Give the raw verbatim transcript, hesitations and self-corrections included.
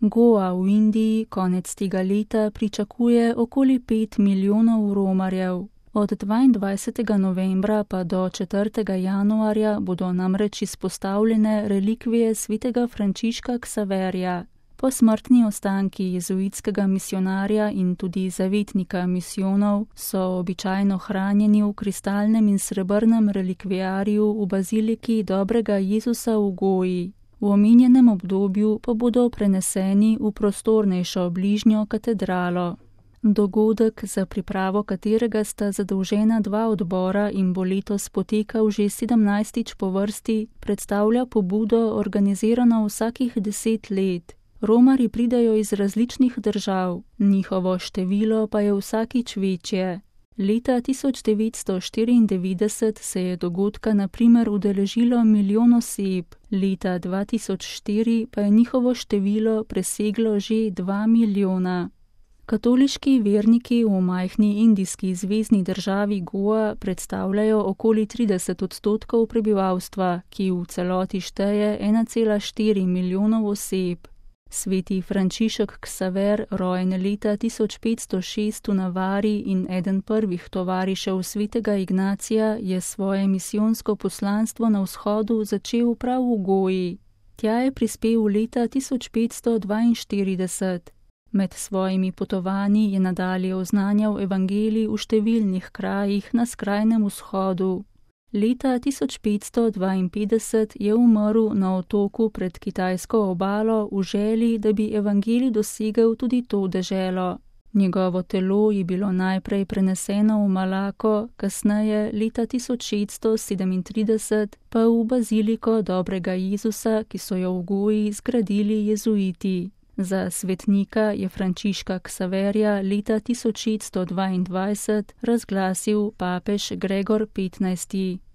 Goa v Indiji konec tega leta pričakuje okoli pet milijonov romarjev. Od dvaindvajsetega novembra pa do četrtega januarja bodo namreč izpostavljene relikvije svetega Frančiška Ksaverija. Posmrtni ostanki jezuitskega misijonarja in tudi zavetnika misijonov so običajno hranjeni v kristalnem in srebrnem relikvijarju v baziliki Dobrega Jezusa v Goji. V omenjenem obdobju pa bodo preneseni v prostornejšo bližnjo katedralo. Dogodek, za pripravo katerega sta zadolžena dva odbora in bo letos potekal že sedemnajstič po vrsti, predstavlja pobudo, organizirano vsakih deset let. Romarji pridajo iz različnih držav, njihovo število pa je vsakič večje. Leta tisoč devetsto štiriindevetdeset se je dogodka na primer udeležilo milijon oseb, leta dva tisoč štiri pa je njihovo število preseglo že dva milijona. Katoliški verniki v majhni indijski zvezni državi Goa predstavljajo okoli trideset odstotkov prebivalstva, ki v celoti šteje ena cela štiri milijonov oseb. Sveti Frančišek Ksaver, rojen leta tisoč petsto šest v Navari in eden prvih tovarišev svetega Ignacija, je svoje misijonsko poslanstvo na vzhodu začel prav v Goji. Tja je prispel leta tisoč petsto dvainštirideset. Med svojimi potovanji je nadalje oznanjal evangelij v številnih krajih na skrajnem vzhodu. Leta tisoč petsto dvainpetdeset je umrl na otoku pred kitajsko obalo v želji, da bi evangelij dosegel tudi to deželo. Njegovo telo je bilo najprej preneseno v Malako, kasneje leta tisoč šeststo sedemintrideset pa v baziliko Dobrega Jezusa, ki so jo v Goji zgradili jezuiti. Za svetnika je Frančiška Ksaverja leta tisoč šeststo dvaindvajset razglasil papež Gregor petnajsti.